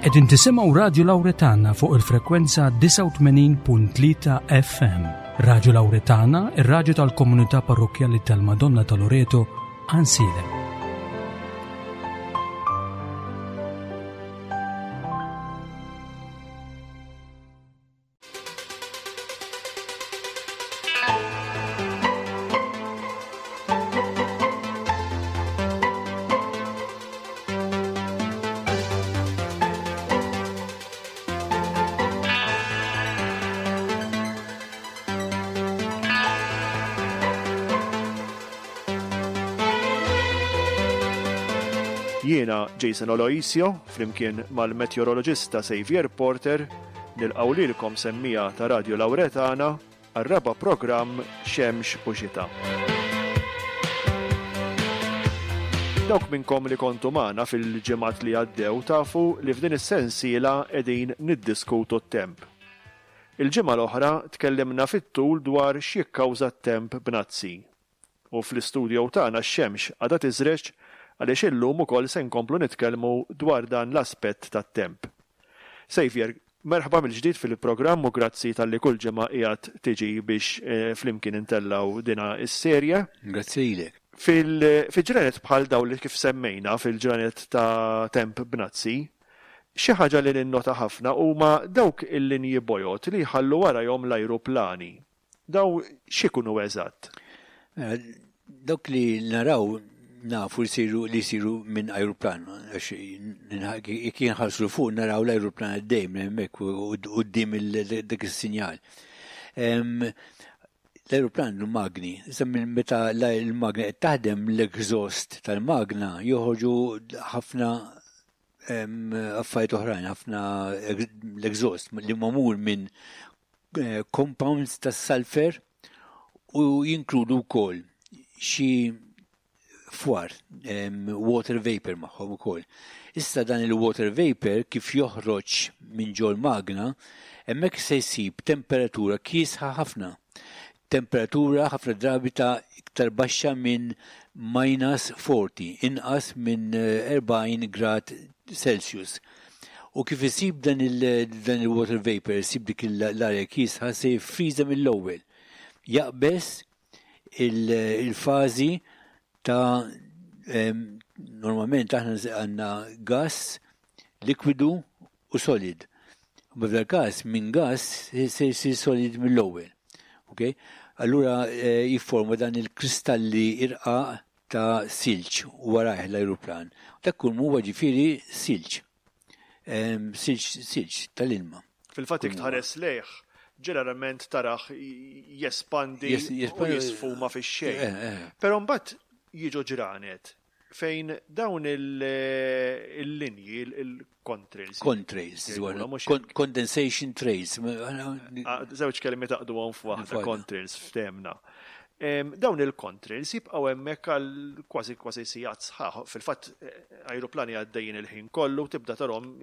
Qegħdin tisimgħu Radju Lawretana fuq il-frekwenza 89.3 FM. Radju Lawretana, ir-radju tal-komunità parrokkjali tal-Madonna ta' Loreto, Ansilem. Jiena Jason Aloisio, flimkien mal-meteoroloġista Xavier Porter, Nilqgħu lilkom semmiegħa ta' Radju Lawretana għar-raba' programm Xemx u Xita. Dawk minnkom li kontu magħna fil-ġimgħat li għaddew tafu li f'din is-sensiela qegħdin niddiskutu t-temp. Il-ġimgħa l-oħra tkellimna fit-tul dwar x'jikkawża t-temp b'nazzi. U fl-istudio tagħna x-xemx għadha tiżreġ għaliex illum ukoll se nkomplu nitkellmu dwar dan l-aspett tat-temp. Saviour, merħba mill-ġdid fil-programm u grazzi talli kull ġimgħa qiegħed tiġi biex flimkien intellgħu dina s-serje. Grazzi lilek. Fi ġranet bħal dawn li kif semmejna, fil-ġranet ta' temp bnazzi, xi ħaġa li ninnota ħafna huma dawk il-linji bojod li jħallu warajhom l-ajruplani. Daw x'ikunu eżatt? Mela, dawk li naraw nafu li jsiru li jsiru minn ajruplan, għax jekk jinħarsu fuq naraw l-ajruplan għaddej minn hemmhekk quddiem dak is-sinjal. L-ajruplan għandu magni, issa minn meta l-magna qed taħdem l-exhaust tal-magna joħorġu ħafna affarijiet oħrajn, ħafna l-exhaust li magħmul minn eh, compounds tas sulfur u jinkludu wkoll xi fwar, water vapor magħhom ukoll. Issa dan il-water vapor kif joħroġ minn ġol magna, hemmhekk se jsib temperatura kiesħa ħafna. Temperatura ħafna drabi ta' iktar baxxa minn minus 40, inqas minn 40 eh, grad Celsius. U kif isib dan il-water vapor, isib dik l-arja kiesħa se jiffriża mill-ewwel. Jaqbeż il-fażi ta' normalment aħna għandna gas, likwidu u solid. U f'dal każ minn gas se jsir solid mill-ewwel. Okay? Allura eh, jifforma dan il-kristalli irqaq ta' silġ warajh l-ajruplan. Dak kull huwa ġifieri silġ. Silġ, silġ tal-ilma. Fil-fatt jekk tħares lejh, ġeneralment tarah jespandi u jisfuma fix-xejn. Eh, eh. Però mbagħad jiġu ġranet fejn dawn il-linji, il-contrails. Contrails, condensation trails. Ah, żewġ kelmi taqdu għon f'waħda, contrails, f'temna. Dawn il-contrails jibqgħu hemmhekk għal kważi kważi sigħat sħaħ. Fil-fatt eh, ajruplani għaddejjin il-ħin kollu tibda tarhom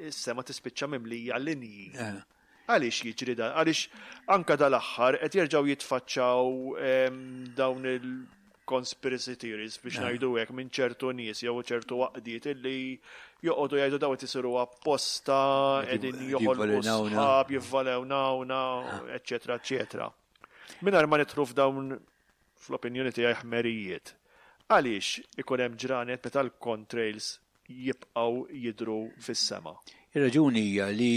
is-sema tispiċċa mimlija linji. Eh. Għaliex jiġri dan? Għaliex anka dal-aħħar qed jerġgħu jitfaċċaw dawn il-conspiracy theories biex eh. ngħidu hekk minn ċertu nies jew ċertu għaqdiet illi joqogħdu jgħidu daw qed isiru apposta, qegħdin joħolqu sħab, jivvalewnawna, eċċetera, eċċetera. Mingħajr ma nidħlu f'dawn fl-opinjoni tiegħi ħmerijiet. Għaliex ikun hemm ġranet meta l-contrails jibqgħu jidhru fis-sema? Ir-raġuni hija li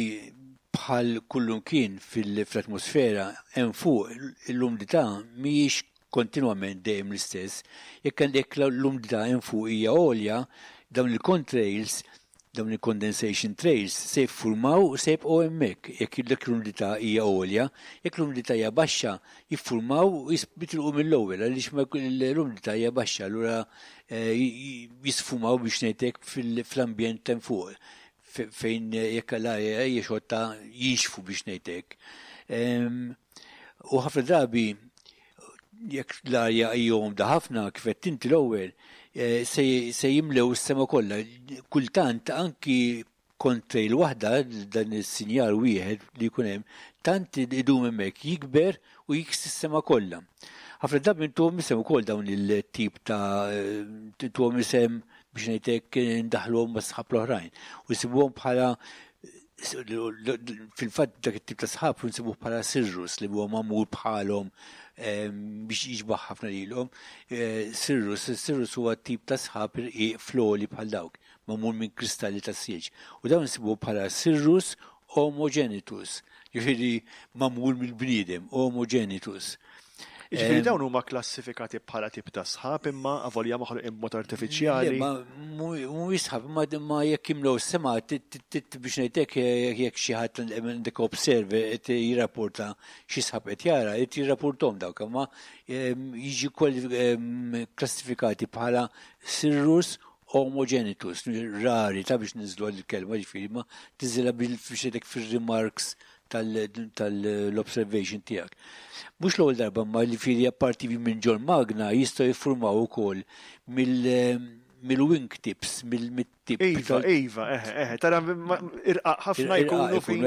bħal kullumkien fl-atmosfera hemm fuq l-umdità mhijiex kontinwament dejjem l-istess. Jekk għandek l-umdità hemm fuq hija għolja, dawn il-contrails Dawn il-condensation trails se jiffurmaw u se jibqgħu hemmhekk jekk l-umdità hija għolja. Jekk l-umdità hija baxxa, jiffurmaw u jitilqu mill-ewwel għaliex l-umdità hija baxxa, allura eh, jisfumaw biex ngħidlek fl-ambjent hemm fuq fejn jekk l-arja hija xotta jinxfu biex ngħidlek. Ehm, u ħafna drabi jekk l-arja hija umda ħafna kif qed inti l-ewwel, eh, se jimlew is-sema kollha. Kultant anki kontrejl waħda dan is-sinjal wieħed li jkun hemm, tant idum hemmhekk jikber u jiksi s-sema kollha. Ħafna drabi intuhom isem ukoll dawn il-tip ta' intuhom isem biex ngħidlek ndaħluhom ma' sħab l-oħrajn. U jsibuhom bħala fil-fatt dak it-tip ta' sħab nsibuh bħala cirrus li huwa magħmul bħalhom biex jixbaħ ħafna lilhom. Cirrus, cirrus huwa tip ta' sħab irqiq floli bħal dawk, magħmul minn kristalli ta' silġ. U dawn nsibuh bħala cirrus homogenitus, jiġifieri magħmul mill-bniedem, homogenitus. Jiġifieri dawn huma klassifikati bħala tip ta' sħab imma avolja maħluqin b'mod artifiċjali. Ma mhuwiex sħab, imma jekk jimlew is-sema biex ngħidlek jekk xi ħadd għandek observe qed jirrapporta xi sħab qed jara, qed jirrapporthom dawk, imma jiġi klassifikati bħala cirrus homogenitus, rari ta' biex niżlu għal kelma ġifieri, ma tiżilha biex ngħidlek fir-remarks tal-observation tiegħek. Mhux l-ewwel darba ma li fili apparti minn ġol magna jistgħu jiffurmaw ukoll mill-wingtips, mill-tip. Iva, iva, eħe, eħe, tara irqaq ħafna jkunu fin.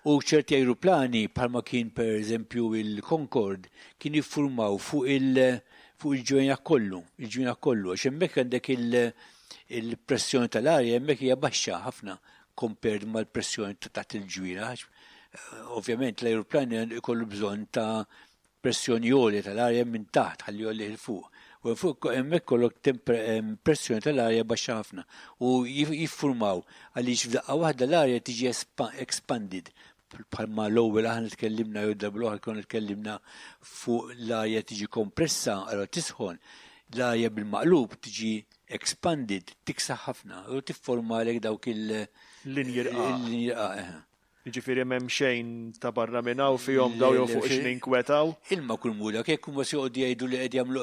U ċerti aeroplani bħalma kien per eżempju il-Concorde kien jiffurmaw fuq il-ġwejnaħ kollu, il-ġwejnaħ kollu, għax hemmhekk għandek il-pressjoni tal-arja hemmhekk hija baxxa ħafna compared mal-pressjoni ta' taħt il-ġwienaħ. Ovvjament l-aeroplani ikollu bżonn ta' pressjoni għolja tal-arja minn taħt ħalli jgħollih 'il fuq. U fuq hemmhekk kollok pressjoni tal-arja baxxa ħafna u jiffurmaw għaliex f'daqqa waħda l-arja tiġi expanded. Bħalma l-ewwel aħna tkellimna jew darba l-oħra konna tkellimna fuq l-arja tiġi kompressa, allora tisħon, l-arja bil-maqlub tiġi expanded, tiksaħ ħafna u tifformalek dawk il- Linji rqaq. Il-linji rqaq, eħe. Jiġifieri m'hemm xejn ta' barra minn hawn fihom daw jew fuq x'ninkwetaw. Ilma kull mula, jekk huma se joqogħdu jgħidu li qed jagħmlu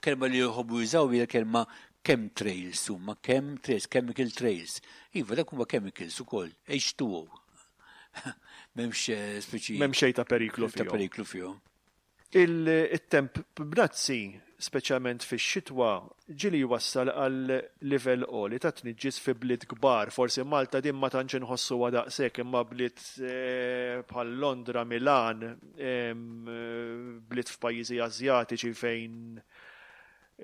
kelma li jħobbu jużaw hija kelma chemtrails huma chemtrails, chemical trails. Iva, dak huma chemicals ukoll, H2O. M'hemmx speċi. M'hemm xejn ta' periklu Ta' fihom. periklu fihom. Il-temp bnazzi, speċjalment fix-xitwa, ġieli jwassal għal livell għoli ta' tniġġis fi bliet kbar. Forsi Malta din ma tantx inħossuha daqshekk, imma bliet bħal Londra, Milan, bliet f'pajjiżi Asjatiċi fejn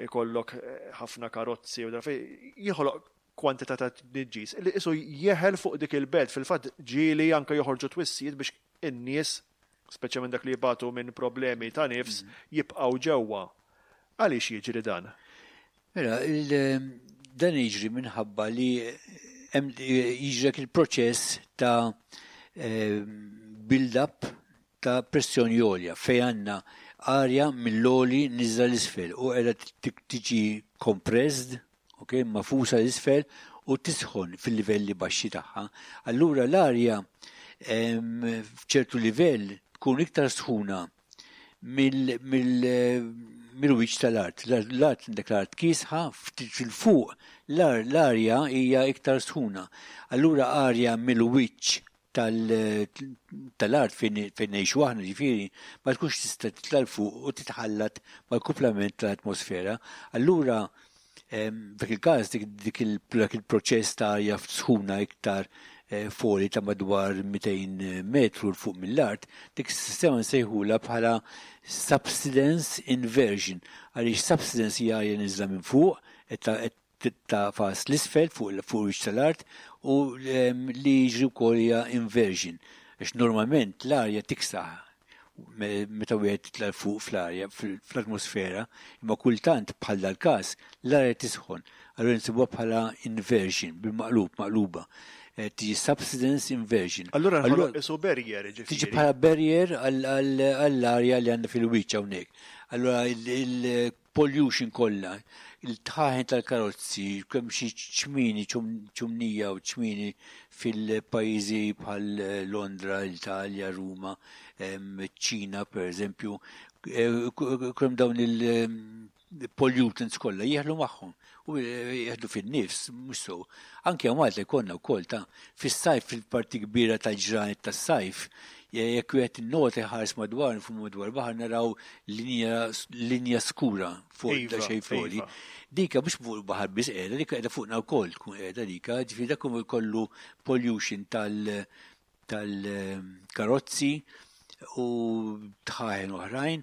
ikollok ħafna karozzi u fejn jieħoloq kwantità ta' tniġġis li qisu jeħel fuq dik il-belt. Fil-fatt ġieli anke joħorġu twissijiet biex in-nies, speċjalment dak li jibatu minn problemi ta' nifs, jibqgħu ġewwa. Għaliex jiġri dan? Mela, dan jiġri minħabba li hemm jiġrek il-proċess ta' build-up ta' pressjoni għolja fejn għandna arja mill-għoli niżla l-isfel u qiegħda tiġi compressed, ok, magħfusa l-isfel u tisħon fil-livelli baxxi tagħha. Allura l-arja f'ċertu livell tkun iktar sħuna mill-wiċċ tal-art. L-art għandek l-art kiesħa, ftit fil-fuq l-arja hija iktar sħuna. Allura arja mill-wiċċ tal-art fejn ngħixu aħna ġifieri ma tkunx tista' titla' 'l fuq u titħallat mal-kumplament tal-atmosfera. Allura f'dak il-każ dak il-proċess ta' arja sħuna iktar foli ta' madwar 200 metru 'l fuq mill-art, dik is-sistema nsejħulha bħala subsidence inversion. Għaliex subsidence hija arja niżla minn fuq, qed tagħfas l-isfel fuq wiċċ tal-art u li jiġri wkoll hija inversion. Għax normalment l-arja tiksaħ meta wieħed titla' fuq fl-arja, fl-atmosfera, imma kultant bħal dal-każ l-arja tisħon. Allura nsibuha bħala inversion, bil-maqlub, maqluba. Tiġi subsidence inversion. Allura Allura nħoloq isu barrier, ġifieri. Tiġi bħala barrier għall-arja li għandna fil-wiċċ hawnhekk. Allura il-pollution kollha, il-tħaħen tal-karozzi, kemm xi ċmini, ċumnija u ċmini fil-pajjiżi bħal Londra, l-Italja, Ruma, Ċina per eżempju, kemm dawn il-pollutants kollha jieħlu magħhom u jieħdu fin-nifs, mhux so. Anke hawn Malta jkollna wkoll ta' fis-sajf fil-parti kbira tal-ġranet tas-sajf, jekk wieħed innota jħares madwar fuq madwar baħar naraw linja skura fuq da xejn floli. Dika mhux fuq il-baħar biss qiegħda, dika qiegħda fuqna wkoll tkun qiegħda dika, ġifieri dak kollu pollution tal-karozzi u tħaħen oħrajn.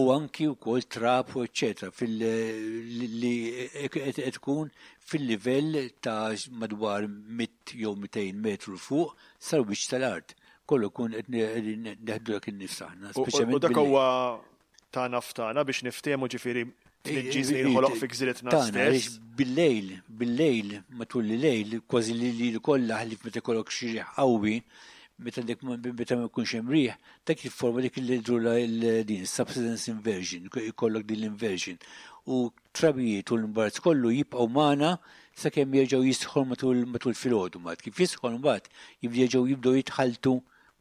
U anki wkoll trab u eċċetera fil li qed tkun fil-livell ta' madwar 100 jew 200 metru fuq sal-wiċċ tal-art. Kollu kun qed neħdu dak in-nifs aħna. U dak huwa tagħna f'tagħna biex niftehmu ġifieri tniġġis li jinħoloq fi gżiritna stess. Bil-lejl, bil-lejl, matul il-lejl, kważi li li kollha ħlief meta jkollok xi riħ qawwi, meta dik meta ma jkunx hemm riħ, dak jifforma dik li drula din subsidence inversion, jkollok din l-inversion. U trabijiet u l-imbarazz kollu jibqgħu magħna sakemm jerġgħu jisħon matul matul filgħodu mbagħad. Kif jisħon mbagħad jerġgħu jibdew jitħalltu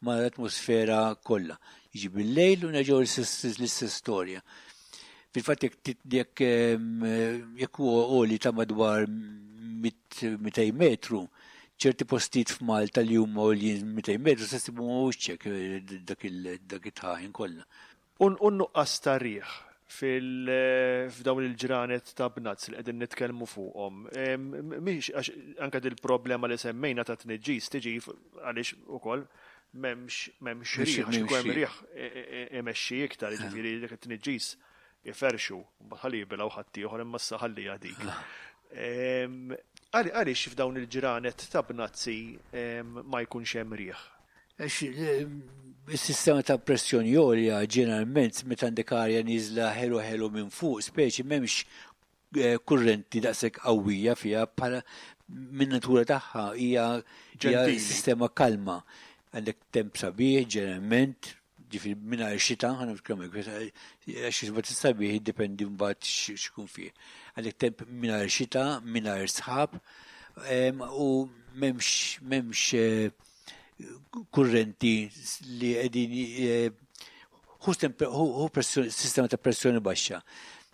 mal-atmosfera kollha. Jiġi bil-lejl u nerġgħu l-istess storja. Fil-fatt jekk jekk huwa għoli ta' madwar 200 metru, ċerti postijiet f'Malta li huma għoljin 200 metru se ssibu ma' wiċċek eh, dak it-tħaħin kollha. U n-nuqqas ta' riħ f'dawn il-ġranet ta' bnazz li qegħdin nitkellmu fuqhom. Mhix għax anke dil-problema li semmejna ta' tniġġis tiġi għaliex ukoll m'hemmx m'hemmx riħ, għax ikun hemm riħ imexxi iktar, jiġifieri dik it-tniġġis iferrxu, mbagħad ħalli jibilgħu ħaddieħor imma issa ħalliha dik. Għaliex f'dawn il-ġranet ta' bnazzi ma jkunx hemm riħ? Għax is-sistema ta' pressjoni għolja ġeneralment meta għandek arja nieżla ħelu ħelu minn fuq, speċi m'hemmx eh, kurrenti daqshekk qawwija fiha bħala minn natura tagħha hija sistema kalma. Għandek temp sabiħ ġeneralment, ġifieri mingħajr xita, ħa nitkellmu għax iżbad is-sabiħ jiddependi mbagħad x'ikun fih. Għandek temp mingħajr xita, mingħajr sħab, u m'hemmx m'hemmx eh, kurrenti li qegħdin eh, hu sistema ta' pressjoni baxxa.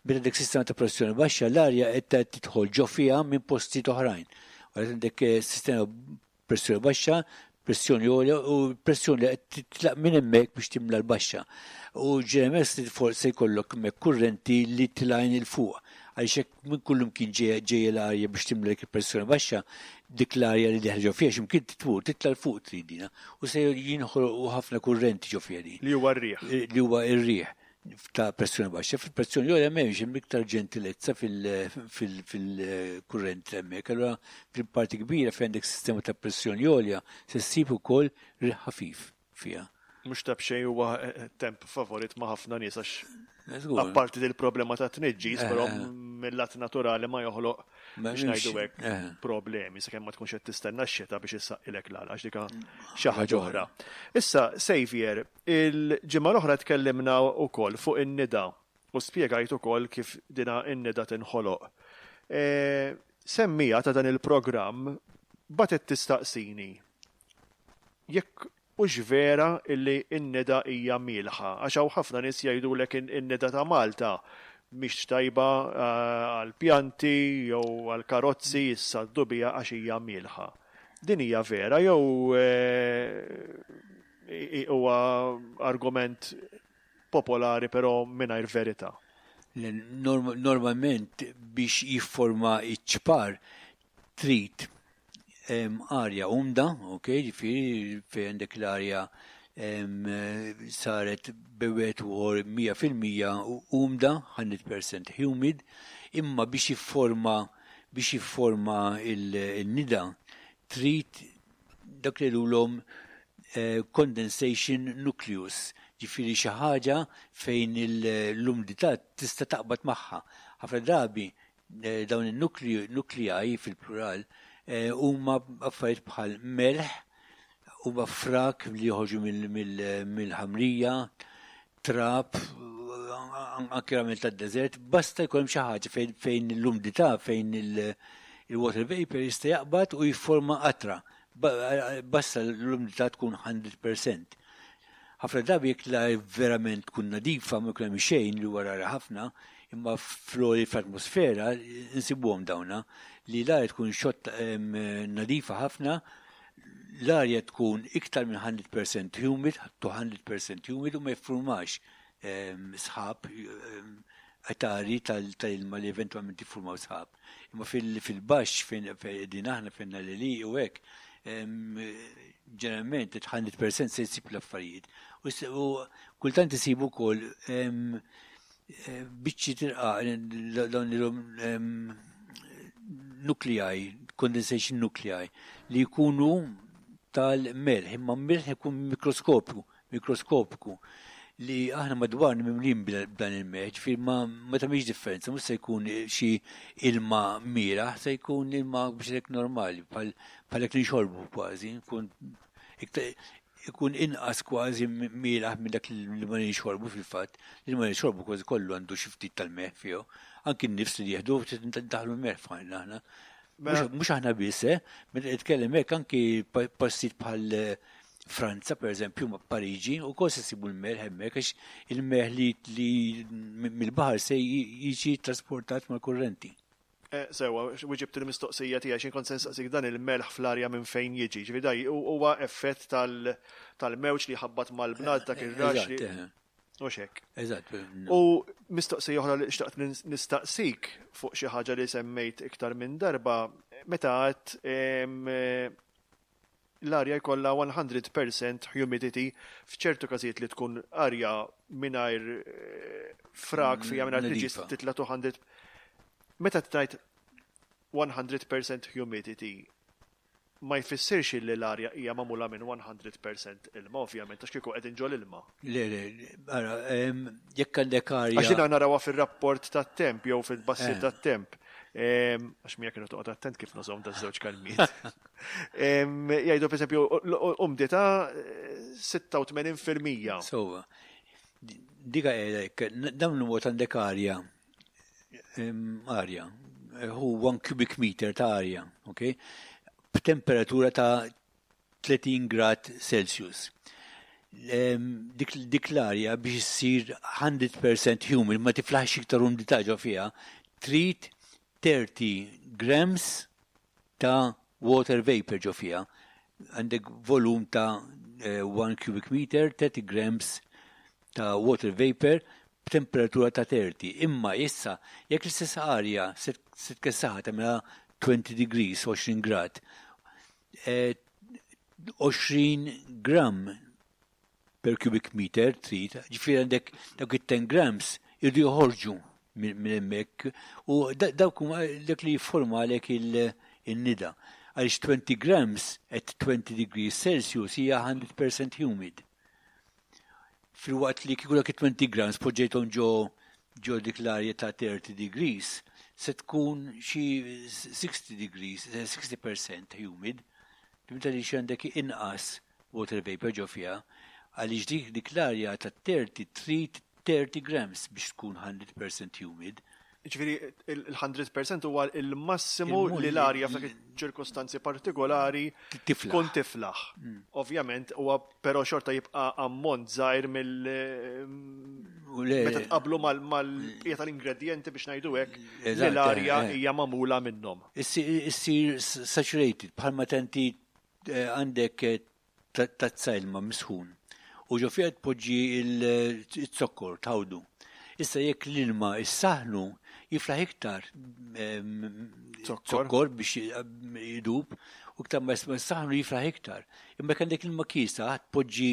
Meta dik sistema ta' pressjoni baxxa l-arja qed tidħol ġo fiha minn postijiet oħrajn. Għalhekk għandek eh, sistema pressjoni baxxa, pressjoni għolja u pressjoni li qed titlaq minn hemmhekk biex timla l-baxxa. U ġeneralment se jkollok hemmhekk kurrenti li tilgħin il fuq. Għaliex hekk minn kullum kien ġejja l-arja biex timla dik il-pressjoni baxxa, dik l-arja li deħla ġo fiha x'imkien titmur, titla' 'l fuq trid dina. U se jinħolqu ħafna kurrenti ġo fiha din. Li huwa r-riħ. Li huwa r-riħ ta' pressjoni baxxa. Fil-pressjoni għolja m'hemmx hemm iktar ġentilezza fil-kurrent hemmhekk. Allura fil-parti kbira fejn għandek sistema ta' pressjoni għolja se ssib ukoll riħ ħafif fiha. Mhux ta' b'xejn huwa temp favorit ma' ħafna nies għax apparti dil-problema ta' tniġġis, però mill-lat naturali ma joħloq biex ngħidu hekk problemi sakemm ma tkunx qed tistenna x-xita biex issaqqilek l-għala għax dika xi ħaġa oħra. Issa, Xavier, Il-ġimgħa l-oħra tkellimna wkoll fuq in-nida u spjegajt ukoll kif dina n-nida tinħoloq. Semmiegħa ta' dan il-programm bagħtet tistaqsini jekk hux vera illi n-nida hija mielħa għax hawn ħafna nies jgħidulek in-nida ta' Malta mhix tajba għall-pjanti jew għall-karozzi jissaddu biha għax hija mielħa. Din hija vera jew Huwa argument popolari però mingħajr verità. Normalment biex jifforma iċ-ċpar trid arja umda, ok, ġifieri fejn għandek l-arja saret bewet u 100% umda, 100% humid, imma biex jifforma biex jifforma il-nida trid dak li jgħidulhom condensation nucleus, ġifieri xi ħaġa fejn l-umdità tista' taqbad magħha. Ħafna drabi dawn in-nuklei fil-plural huma affarijiet bħal melħ, huma frak li joħorġu mill-ħamrija, trab, anke ramel tad-deżert, basta jkun hemm xi ħaġa fejn l-umdità, fejn il-water vapor jista' jaqbad u jifforma qatra. Basta l-umdità tkun 100%. Ħafna drabi jekk l-arja verament tkun nadifa ma jkun hemm xejn li huwa rari ħafna, imma fl-għoli fl-atmosfera nsibuhom dawna li l-arja tkun xott nadifa ħafna l-arja tkun iktar minn 100% humid, to 100% humid u ma jiffurmax ehm, sħab ehm, qatari tal-ilma li eventualment jiffurmaw sħab. Imma fil-baxx fejn din aħna fejn li u hekk, ehm, ġeneralment 100% se jsib l-affarijiet. U kultant isibu wkoll Biċċi tirqa dawn nuclei, condensation nuclei, li jkunu tal-melħ, imma melħ ikun mikroskopju, mikroskopiku li aħna madwar mimlin b'dan il-melħ, ġifieri ma tagħmilx differenza, mhux se jkun xi ilma mieraħ, se jkun ilma biex hekk normali, bħal hekk li nxorbu kważi, jkun ikun inqas kważi mielaħ minn dak li ma nixorbu fil-fatt, li ma nixorbu kważi kollu għandu xi ftit tal-melħ fih. Anki n-nifs li jieħdu ftit ndaħlu l-melħ f'ħajna aħna. Mela- mhux aħna biss, eh? Meta nitkellem hekk anki postijiet bħal eh, Franza, per eżempju, ma' Pariġi, u kos isibu l-melħ hemmhekk għax il-melħ li mill-baħar se jiġi trasportat mal-kurrenti. Eh, sewa, wieġibt il-mistoqsija tiegħi x'in kont se nistaqsik dan il-melħ fl-arja minn fejn jiġi. Ġifieri daj huwa effett tal-mewġ li ħabbat mal-bnad dak ir-rax li. Eh. U xek. Eżatt. U mistoqsija oħra li xtaqt nistaqsik fuq xi ħaġa li semmejt iktar minn darba, meta għedt l-arja jkollha 100% humidity f'ċertu każijiet li tkun arja mingħajr eh, frak fija mingħajr tniġis titla' 200. Meta tgħid 100% humidity ma jfissirx li l-arja hija magħmula minn 100% ilma, ovvjament, għax kieku qegħdin ġol ilma. Le, le, ara, jekk għandek arja. Għax jiena narawha fir-rapport tat-temp jew fil-bassir eh. tat-temp. Għax mija kienu toqgħod attent kif nużhom da żewġ kalmiet. Jgħidu pereżempju umdità 86%. Sowa. Dika hekk, dawn il-mod għandek arja arja, hu 1 cubic meter ta' arja, ok? B'temperatura ta' 30 grad Celsius. Dik, dik l-arja biex issir 100% humid, ma tiflaħx iktar umdità ġo fiha, trid 30 grams ta' water vapor ġo fiha. Għandek volum ta' 1 cubic meter, 30 grams ta' water vapor b'temperatura ta' 30. Imma issa, jekk l-istess arja se tkessaħha tagħmilha 20 degrees, 20 grad, 20 gram per cubic meter trid, ġifieri għandek dawk it-10 grams irdu joħorġu minn hemmhekk u dawk huma dak li jifformalek il-nida. Għaliex 20 grams at 20 degrees Celsius hija 100% humid. Filwaqt li kieku dak it-20 grams poġġejthom ġo ġo dik l-arja ta' 30 degrees, se tkun xi 60 degrees, 60% humid, fimta li xi għandek inqas water vapor ġo fiha, għaliex dik dik l-arja ta' 30 trid 30 grams biex tkun 100% humid. Ġifieri il-100% huwa il-massimu li l-arja f'dak ċirkostanzi partikolari tkun tiflaħ. Mm. Ovvjament, huwa però xorta jibqa' ammont żgħir mill meta tqablu mal-bqija tal-ingredjenti biex ngħidu hekk li l-arja eh, eh. hija magħmula minnhom. Issir saturated bħalma tenti eh, għandek tazza ilma misħun u ġo fiha tpoġġi z-zokkor tħawdu. Issa jekk l-ilma issaħnu jiflaħ iktar zokkor biex jidub u iktar ma ssaħnu jiflaħ iktar. Imma jekk għandek ilma kiesaħ tpoġġi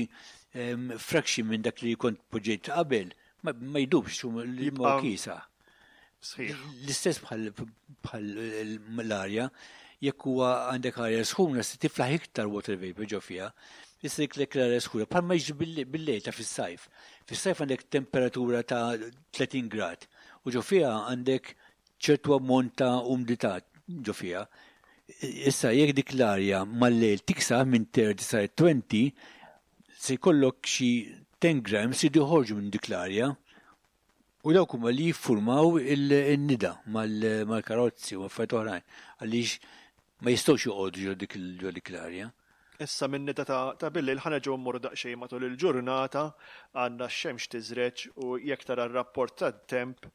fraction minn dak li kont poġġejt qabel ma jdubx l-ilma kiesaħ. Sħiħ. L-istess bħal l-arja, jekk huwa għandek arja sħuna se tiflaħ iktar water vapor ġo fiha. Issa jekk lek l-arja sħuna, bħalma jiġri bil-lejl ta' fis-sajf. Fis-sajf għandek temperatura ta' 30 grad u ġo fiha għandek ċertu ammont ta' umdità ġo fiha. Issa jekk dik l-arja mal-lejl tiksaħ minn 30 sa 20, se jkollok xi 10 grams jridu joħorġu minn dik l-arja U dawk huma li jiffurmaw in-nida mal-karozzi u affarijiet oħrajn għaliex ma jistgħux joqogħdu ġo dik ġo dik l-arja. Issa min-nida ta' billejl ħa nerġgħu mmorru daqsxejn matul il-ġurnata, għandna x-xemx tiżreġ u jekk tara r-rapport tat-temp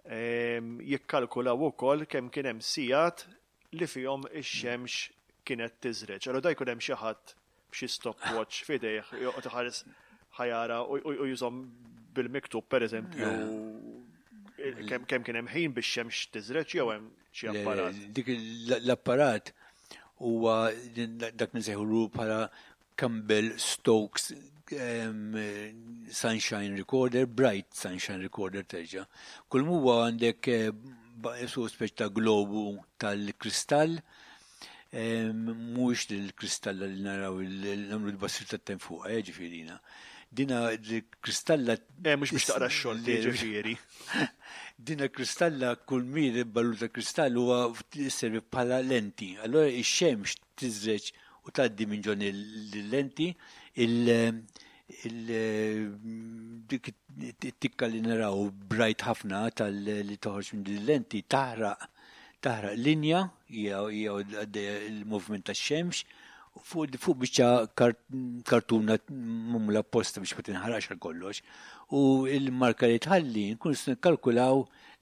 jikkalkulaw ukoll kemm kien hemm sigħat li fihom ix-xemx kienet tiżreġ. Allura da jkun hemm xi ħadd b'xi stopwatch f'idejh joqgħod iħares ħajara u jużhom bil-miktub pereżempju kemm kien hemm ħin biex xemx tiżreġ jew hemm xi apparat. Dik l-apparat huwa dak nsejħulu bħala Campbell Stokes Sunshine Recorder, Bright Sunshine Recorder terġa'. Kull huwa għandek su speċi ta' globu tal-kristall, mhuwiex il-kristalla li naraw nagħmlu l-bassir tat-temp fuqha, ġifieri. Dina l-kristalla. Mhux biex taqra x-xogħol ġifieri. Dina kristalla, kull mir ballu ta' kristall huwa servi bħala lenti. Allora ix-xemx tiżreġ u tgħaddi minn ġon il-lenti, dik it-tikka li naraw bright ħafna tal-li toħroġ minn din lenti taħraq linja hija għaddejja il-movement tax-xemx fuq biċċa kartuna magħmula apposta biex ma tinħaraqx għal kollox. U il-marka li tħalli nkun nikkalkulaw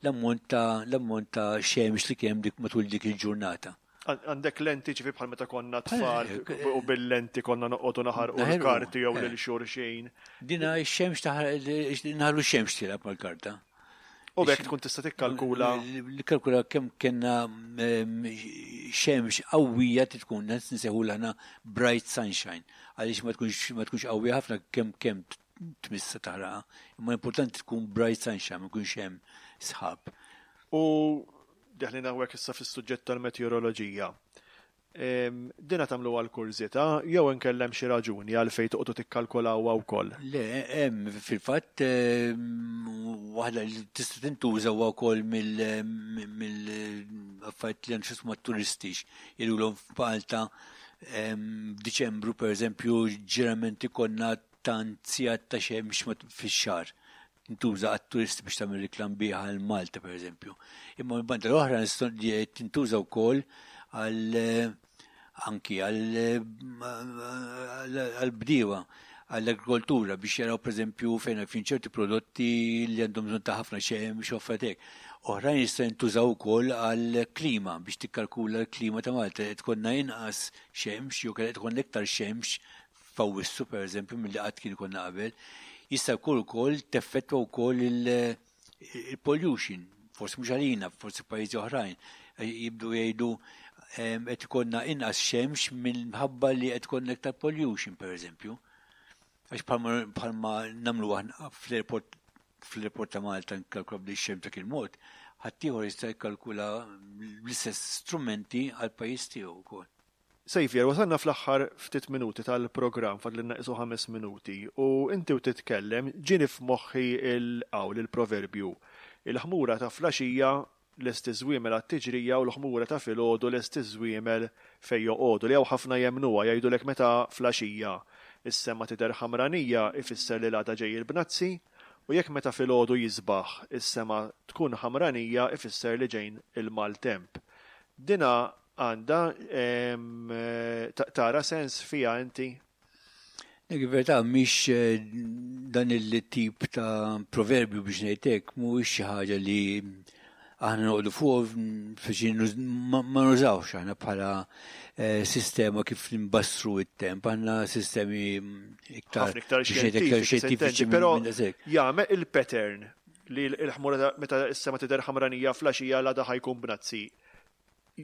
l-ammont ta' xemx li kemm dik matul dik il-ġurnata. Għandek lenti, ġifi bħal meta konna tfal u bil-lenti konna noqogħdu naħarqu l-karti jew lil xulxin. Dina x-xemx taħraq, naħlu x-xemx tilgħab mal-karta. U b'hekk tkun tista' tikkalkula. Nikkalkula kemm kellna xemx qawwija, tkun nsejħu aħna bright sunshine, għaliex ma tkunx qawwija ħafna kemm tmissa taħraqa. Imma importanti tkun bright sunshine, ma jkunx hemm sħab. U deħlin hawnhekk issa fis-suġġett tal-meteoroloġija. Dina tagħmlu għal kurżità jew inkellem xi raġuni għal fejn toqgħodu tikkalkulawha wkoll? Le, hemm fil-fatt waħda li tista' tintuża wkoll mill-affarijiet li għandu x'jaqsmu turistiċi. Jgħidulhom f'Malta f'Diċembru, pereżempju, ġeneralment ikollna tant sigħat ta' xemx fix-xahar. Tintuża għat-turisti biex tagħmel reklam biha għal Malta, pereżempju. Imma mill-banda l-oħra tintuża wkoll għal anki għal bdiewa, għall-agrikoltura, biex jaraw, pereżempju, fejn fin ċerti prodotti li għandhom bżonn ta' ħafna xemx u affarijiet. Oħrajn jista' jintużaw ukoll għall-klima, biex tikkalkula l-klima ta' Malta. Qed ikollna inqas xemx jew qed ikollna iktar xemx f'Awwissu, pereżempju, milli qatt kien ikollna qabel. Jista' jkun ukoll teffettwa wkoll il-pollution, forsi mhux għalina, forsi pajjiżi oħrajn. Jibdu jgħidu qed ikollna inqas xemx minħabba li qed ikollna iktar pollution, pereżempju. Għax bħalma nagħmlu aħna fl-airport ta' Malta, nkalkula bli xemx dak il-mod, ħaddieħor jista' jikkalkula l-istess strumenti għal pajjiż tiegħu wkoll. Saviour, wasalna fl-aħħar ftit minuti tal-programm, fadlilna qisu 5 minuti, u inti u titkellem ġieni f'moħħi il-qawl, il-proverbju. Il-ħmura ta' filgħaxija lesti żwiemel għat-tiġrija u l-ħmura ta' filgħodu lesti żwiemel fej joqogħdu, li hawn ħafna jemnuha, jgħidulek meta filgħaxija is-sema tidher ħamranija ifisser li l-għada ġej il-bnazzi, u jekk meta filgħodu jisbaħ is-sema tkun ħamranija ifisser li ġejn il-maltemp. Dina għandha tara sens fija inti? Nek verità mhix dan il-tip ta' proverbju, biex ngħidlek, mhuwiex xi ħaġa li aħna noqogħdu fuq biex ma nużawx aħna bħala sistema kif nbassru it-temp, għandna sistemi iktar ħafna iktar biex ngħidlek, iktar xjentifiċi, però minn daqshekk. Jagħmel il-pattern li l-ħmura meta s-sema tidher ħamranija filgħaxija l-għada ħa jkun bnazzi.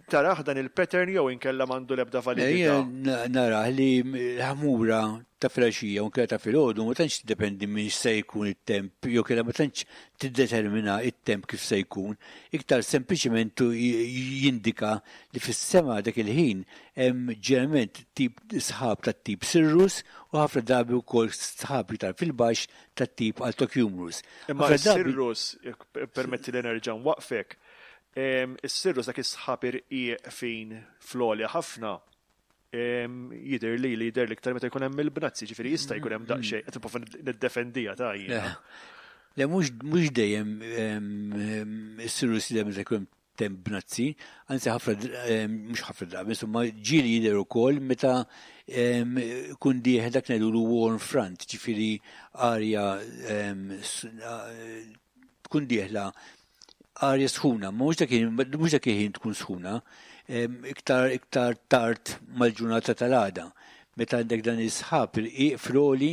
Tarah dan il-pattern jew inkella m'għandu l-ebda validità? Nara li l-ħmura ta' filgħaxija u ta' filgħodu ma tantx tiddependi minn se jkun it-temp, jew kella ma tantx tiddetermina it-temp kif se jkun, iktar sempliċement jindika li fis-sema dak il-ħin hemm ġeneralment tip sħab tat-tip cirrus u ħafna drabi wkoll sħab iktar fil-baxx tat-tip altocumulus. Imma cirrus, permetti li nerġa' nwaqfek, is-cirrus, dak is-sħab irqiq fin fl-għolja ħafna, jidher li jidher l-iktar meta jkun hemm il-bnazzi, ġifieri jista' jkun hemm daqsxejn, qed nipprova niddefendija ta' jiena. Le, mhux dejjem is-cirrus jidher meta jkun temp bnazzi, anzi ħafna, mhux ħafna drabi, insomma ġieli jidher ukoll meta kun dieħel dak ngħidulu warm front, ġifieri arja tkun dieħla arja sħuna, mhux dak il-ħin tkun sħuna, iktar tard mal-ġurnata tal-għada. Meta għandek dan is-sħab irqiq fl-għoli.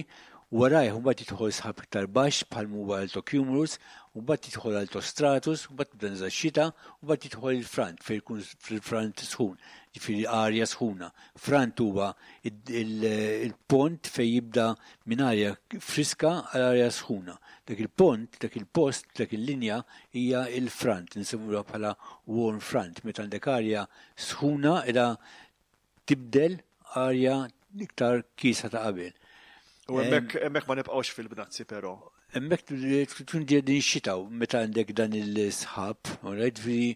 Warajh mbagħad jidħol sħab iktar baxx bħal huwa altocumulus, u mbagħad jidħol altostratus, u mbagħad tibda niżel xita, u mbagħad jidħol il-front fejn jkun fil-front sħun, ġifieri arja sħuna. Front huwa il-pont fejn jibda minn arja friska għal arja sħuna. Dak il-pont, dak il-post, dak il-linja hija il-front, nsemmuha bħala warm front, meta għandek arja sħuna qiegħda tibdel arja iktar kiesħa ta' qabel. U hemmhekk ma nibqgħux fil-bnazzi però. Hemmhekk tkun din xita meta għandek dan il-sħab, right, ġifieri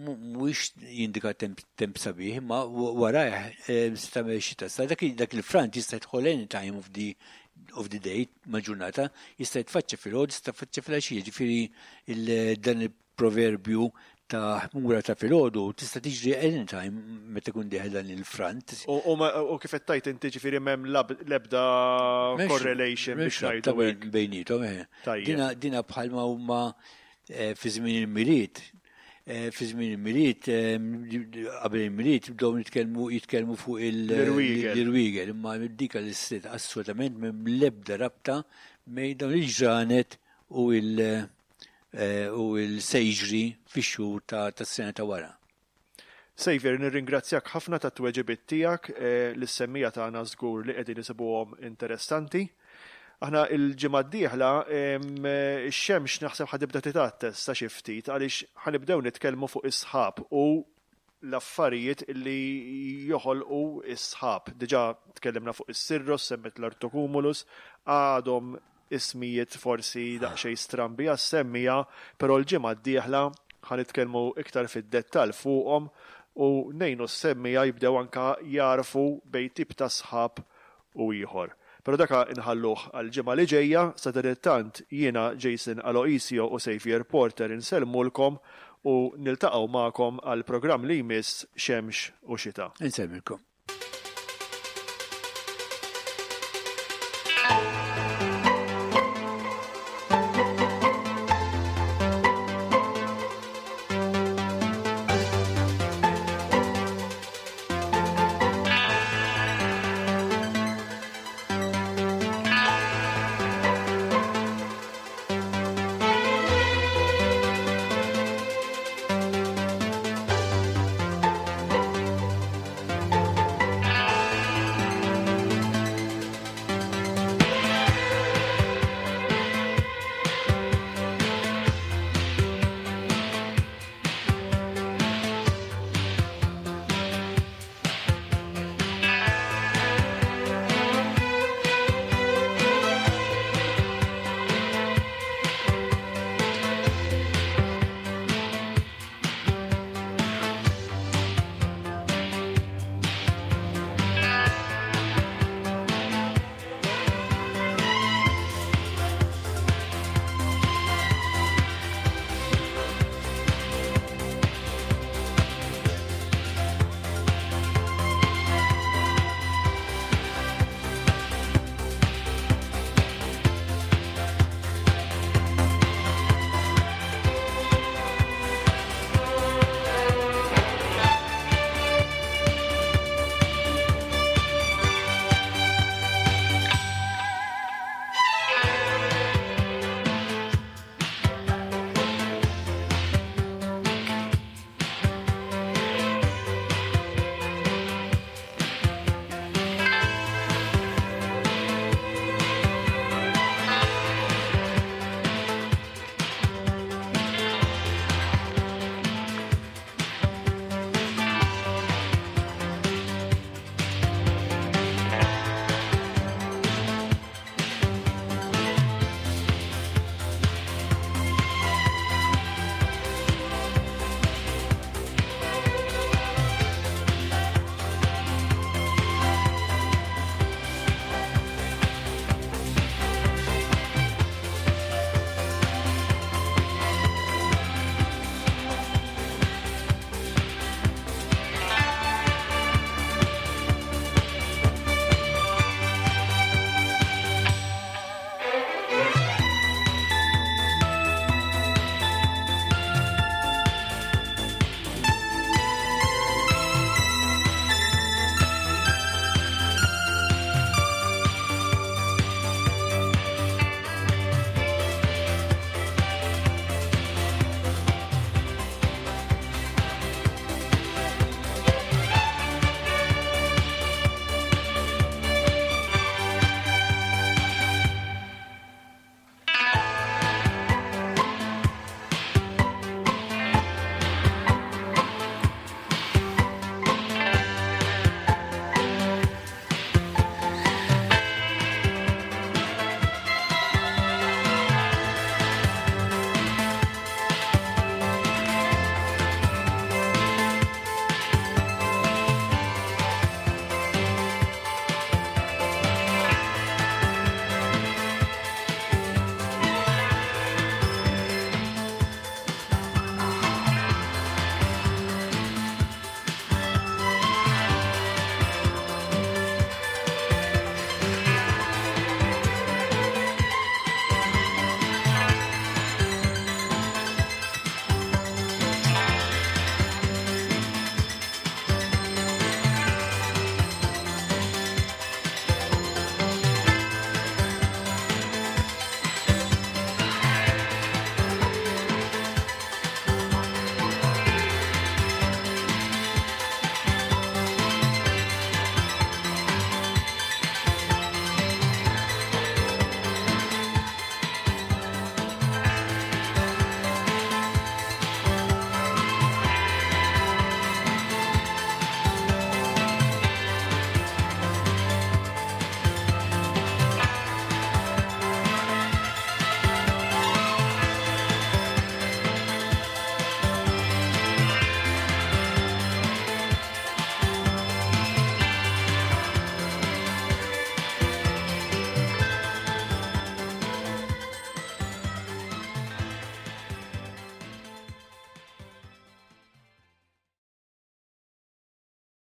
mhuwiex jindika temp sabiħ, ma warajh se tagħmel xita. Sa dak il-front jista' jidħol any time of the day mal-ġurnata, jista' jitfaċċa filgħodu, jista' jitfaċċa filgħaxija, ġifieri dan il-proverbju ta' ħmura ta' filgħodu tista' tiġri anytime meta jkun dieħel dan il-front. U kif qed tgħid inti, ġifieri m'hemm l-ebda correlation biex ngħidu hekk. Bejniethom, eh. Dina bħalma huma fi żmien il-Milied. Fi żmien il-Milied, qabel il-Milied, bdew jitkellmu fuq l-irwiegel, imma dika l-istit assolutament m'hemm l-ebda rabta bejn dawn il-ġranet u l-sejġri fix-xhur ta' sena ta' wara. Xavier, nirringrazzjak ħafna ta' tweġibiet tiegħek lis-semmiegħa tagħna żgur li qegħdin isibuhom interessanti. Aħna il-ġimgħa d-dieħla ix-xemx naħseb ħa tibda titgħattes sa xi ftit għaliex ħa nibdew nitkellmu fuq is-sħab u l-affarijiet li joħolqu is-sħab. Diġà tkellimna fuq is-cirrus, semmit l-altocumulus, għadhom ismijiet forsi daqsxejn strambi għas-semmiegħa, però l-ġimgħa d-dieħla ħa nitkellmu iktar fid-dettall fuqhom u ngħinu s-semmiegħa jibdew anka jarfu bejn tip ta' sħab u ieħor. Però daka inħalluh għal-ġimgħa li ġejja, sadanittant jiena Jason Aloisio u Xavier Porter insellmulkom u niltaqgħu magħkom għal programm li jmiss Xemx u Xita. Insellmilkom.